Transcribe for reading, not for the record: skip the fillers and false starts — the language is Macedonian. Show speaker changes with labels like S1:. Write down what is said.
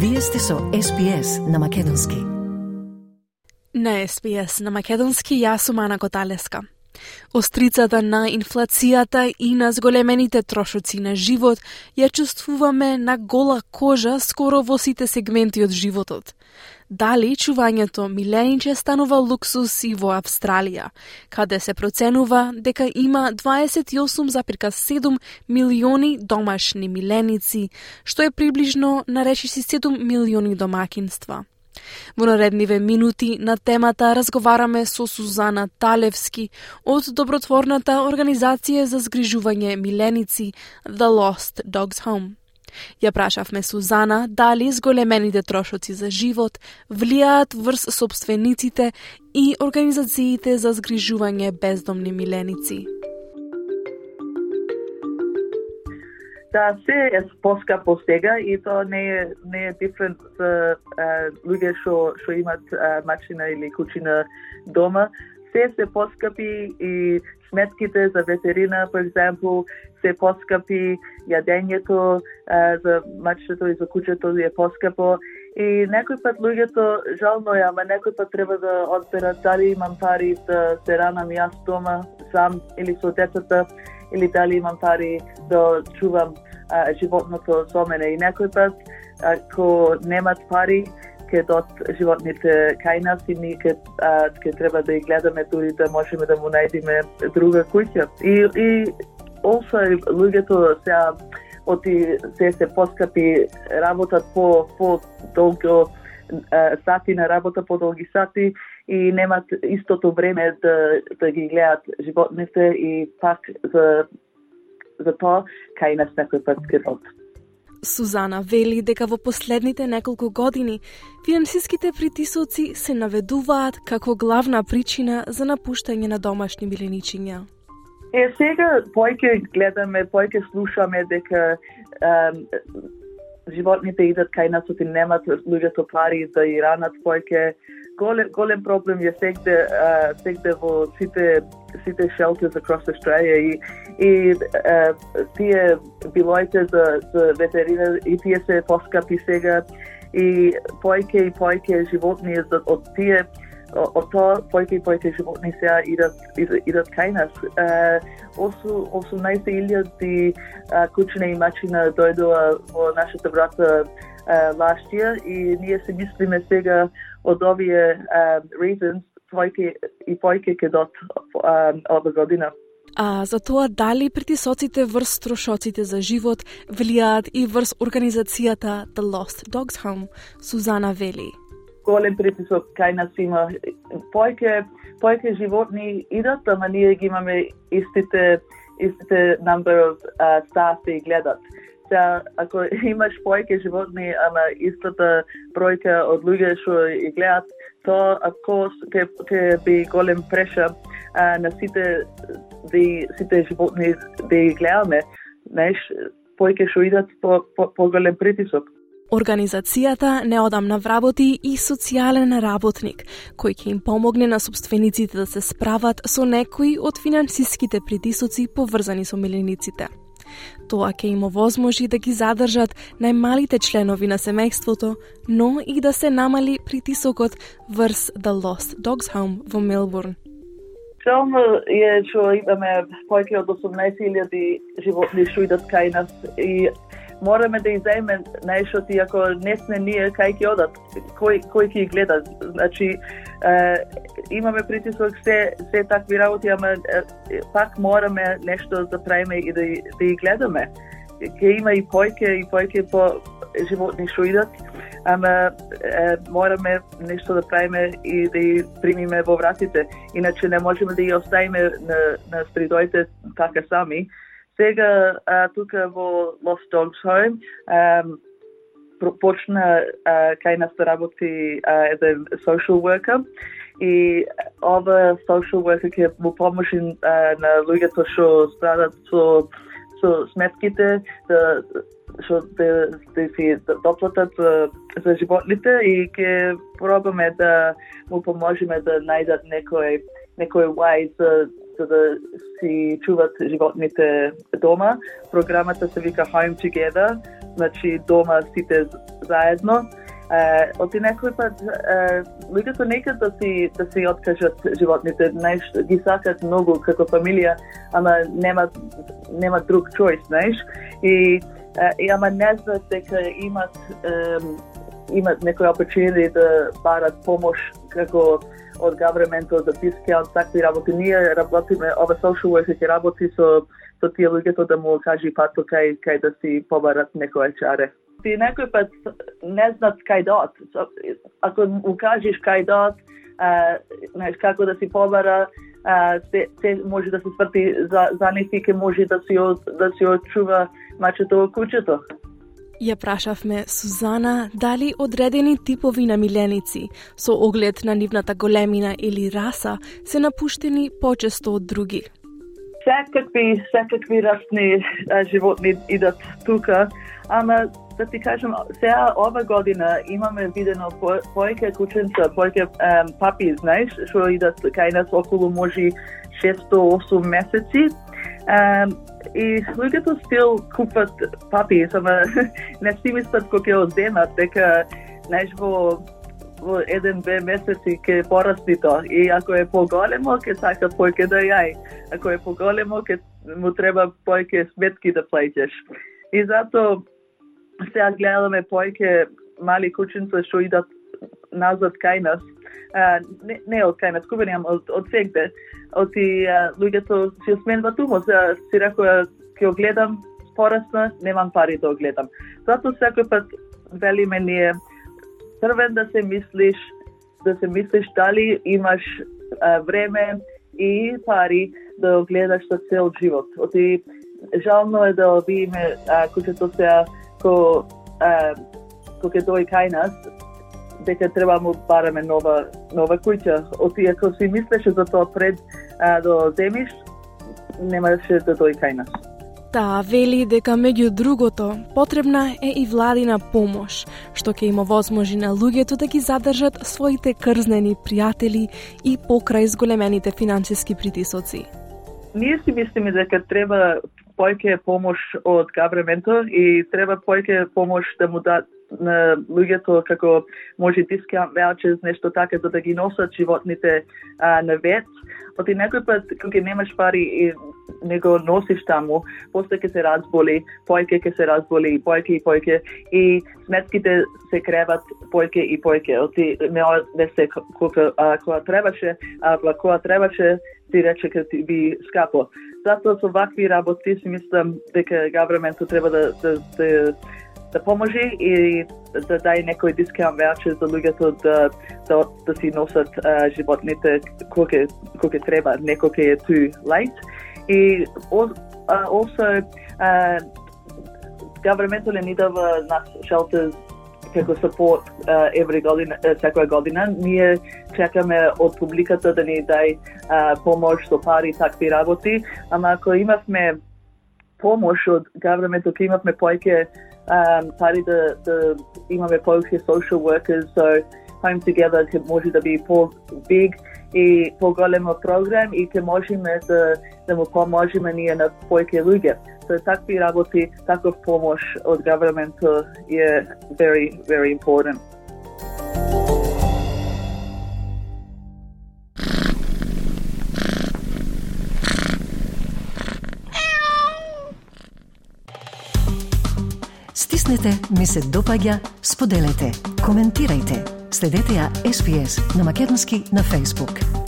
S1: Вие сте со SPS на Македонски.
S2: На SPS на Македонски јас сум Ана Коталеска. Острицата на инфлацијата и на зголемените трошоци на живот ја чувствуваме на гола кожа скоро во сите сегменти од животот. Дали чувањето милениче станува луксус и во Австралија, каде се проценува дека има 28,7 милиони домашни миленици, што е приближно на речиси 7 милиони домакинства. Во наредниве минути на темата разговараме со Сузана Талевски од добротворната организација за згрижување миленици The Lost Dogs Home. Ја прашавме Сузана дали зголемените трошоци за живот влијаат врз собствениците и организациите за згрижување бездомни миленици.
S3: Да, се е поскапо сега и тоа не е дифрент за луѓе што имат мачина или кучина дома. Се поскапи и сметките за ветерина, for example, се поскапи, јадењето за мачето и за кучето е поскапо. И некој пат луѓето жално е, ама некој пат треба да одберат дали имам пари да се ранам јас дома сам или со децата, или дали имам пари да чувам животното со мене. И некој пат, ако немат пари, ке дот животните кај нас и ние ке треба да ги гледаме дури да можеме да му најдеме друга куќа. И also луѓето се поскапи, работат по долго сати на работа, по долги сати и немат истото време да ги гледат животните и пак за тоа кај нас некој пат ке дот.
S2: Сузана вели дека во последните неколку години финансиските притисоци се наведуваат како главна причина за напуштање на домашни миленичиња.
S3: Сега појќе гледаме, појќе слушаме дека животните идат кај нас и немат луѓето пари да и ранат појќе. Голем проблем е сегде во сите shelters across Australia и тие билоите за ветерина и тие се поскапи сега и појќе животни од тоа појќе животни сега идат кај нас. 18,000 кучина и мачина дојдоа во нашата врата last year и ние се мислиме сега од овие reasons појќе ке дот ова година.
S2: А за тоа дали притисоците врз трошоците за живот влијаат и врз организацијата The Lost Dogs Home, Сузана вели.
S3: Голем притисок кај нас има. Појќе животни идат, ама ние ги имаме истите number of staff да ги гледат. Ако имаш појќе животни, ама истата бројка од луѓе што ги гледат, тоа ако ќе би голем преша на сите животни да ги гледаме, појќе што идат по голем притисок.
S2: Организацијата неодамна вработи и социјален работник, кој ќе им помогне на собствениците да се справат со некои од финансиските притисоци поврзани со милениците. Тоа ќе им овозможи да ги задржат најмалите членови на семејството, но и да се намали притисокот врз The Lost Dogs Home во Мелбурн.
S3: Жално е што имаме појќе од 18,000 животни што идат кај нас и мораме да изајме најшто ти ако не сме ние кај ќе одат, кој ќе ги гледа. Значи имаме притисок се такви работи, ама пак мораме нешто да правиме и да ги гледаме. Ќе има и појќе по животни што идат, ама мораме нешто да правиме и да ги примиме во вратите. Иначе не можеме да ги оставиме на стридоите така сами. Сега тука во Lost Dogs Home почна кај нас да работи еден social worker и ова social worker ќе му помоши на луѓето што страдат со сметките што да си доплатат за животните и ќе пробаме да му поможеме да најдат некој way за да си чуват животните дома. Програмата се вика Home Together значи дома сите заедно. Оти некој пат луѓето некад да си откажат животните, знаеш, ги сакат многу како фамилија, ама нема друг choice, знаеш, и ама не знаат дека имат некој opportunity да барат помош како од government-от, за discount, такви работи. Ние работиме, ова social worker ќе работи со тие луѓето да му кажи пато кај да си побарат некој чаре. Ти некој пат не знаат кај дот. Ако му кажеш кај дот, знаеш како да си побара, те може да се сврти за нив и ке може да си очува мачето во куќето.
S2: Ја прашавме Сузана дали одредени типови намиленици со оглед на нивната големина или раса се напуштени почесто од други.
S3: Секакви расни животни идат тука, ама да ти кажам, сега ова година имаме видено повеќе кученца, повеќе папи, знаеш, што идат кај нас околу може 6-8 месеци. И луѓето стил купат папи, само не си мислат кога ќе одземат, дека, знаеш, во 1-2 месеци ќе порасти тоа. И ако е поголемо, ќе сака повеќе да јај. Ако е поголемо, ќе му треба повеќе сметки да плаќаш. И затоа сега гледаме повеќе мали кученца што идат назад кај нас. Не од кај нас, купени, од сегде. Оти луѓето си сменуваат умот. Си рекоа, ќе гледам, порасна, немам пари да гледам. Затоа секој пат велиме ние првен да се мислиш дали имаш време и пари да гледаш за цел живот. Оти жално е да видиме кучето сега кога ќе дојде кај нас, дека треба му бараме нова куќа. Оти ако си мислеше за тоа пред да земиш, немаше да дојде кај нас.
S2: Таа вели дека меѓу другото потребна е и владина помош, што ќе им овозможи на луѓето да ги задржат своите крзнени пријатели и покрај зголемените финансиски притисоци.
S3: Ние си мислиме дека треба повеќе помош од government-от и треба повеќе помош да му дадат на луѓето како може discount vouchers, нешто така, за да ги носат животните на вет. Оти некој пат кога немаш пари и не го носиш таму, после ќе се разболи, повеќе ќе се разболи, повеќе и сметките се креват повеќе и повеќе. Оти не се кога требаше, ти рече ке ти би скапо. Затоа со вакви работи си мислам дека government треба да поможи и да даде некој discount voucher за луѓето да си носат животните кога треба, некој ќе е too late. И also government ни дава нас shelters како support секоја година. Ние чекаме од публиката да ни дај помош со пари, такви работи, ама ако имавме помош од government, ако имавме повеќе пари да имаме повеќе social workers, so Home Together ќе може да би по-big и по-големо програм и ќе можеме да му поможеме ние на повеќе луѓе. So такви работи, таков помош од government е very, very important.
S1: Стиснете, ми се допаѓа, споделете, коментирајте. Следете ја SPS на македонски на Facebook.